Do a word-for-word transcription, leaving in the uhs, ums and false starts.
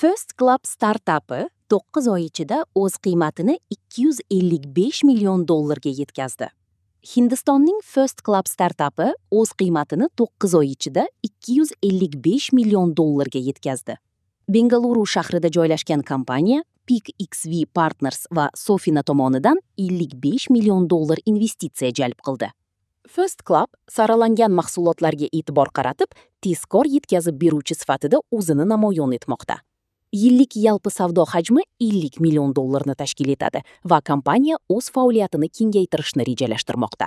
First Club startapi to'qqiz oy ichida o'z qiymatini ikki yuz ellik besh million dollarga yetkazdi. Hindistonning First Club startapi o'z qiymatini to'qqiz oy ichida ikki yuz ellik besh million dollarga yetkazdi. Bengaluru shahrida joylashgan kompaniya Peak X V Partners va Sofina tomonidan ellik besh million dollar investitsiya jalb qildi. First Club saralangan mahsulotlarga e'tibor qaratib, tezkor yetkazib beruvchi sifatida o'zini namoyon etmoqda. Yillik yalpi savdo hajmi ellik million dollarni tashkil etadi va kompaniya o'z faoliyatini kengaytirishni rejalashtirmoqda.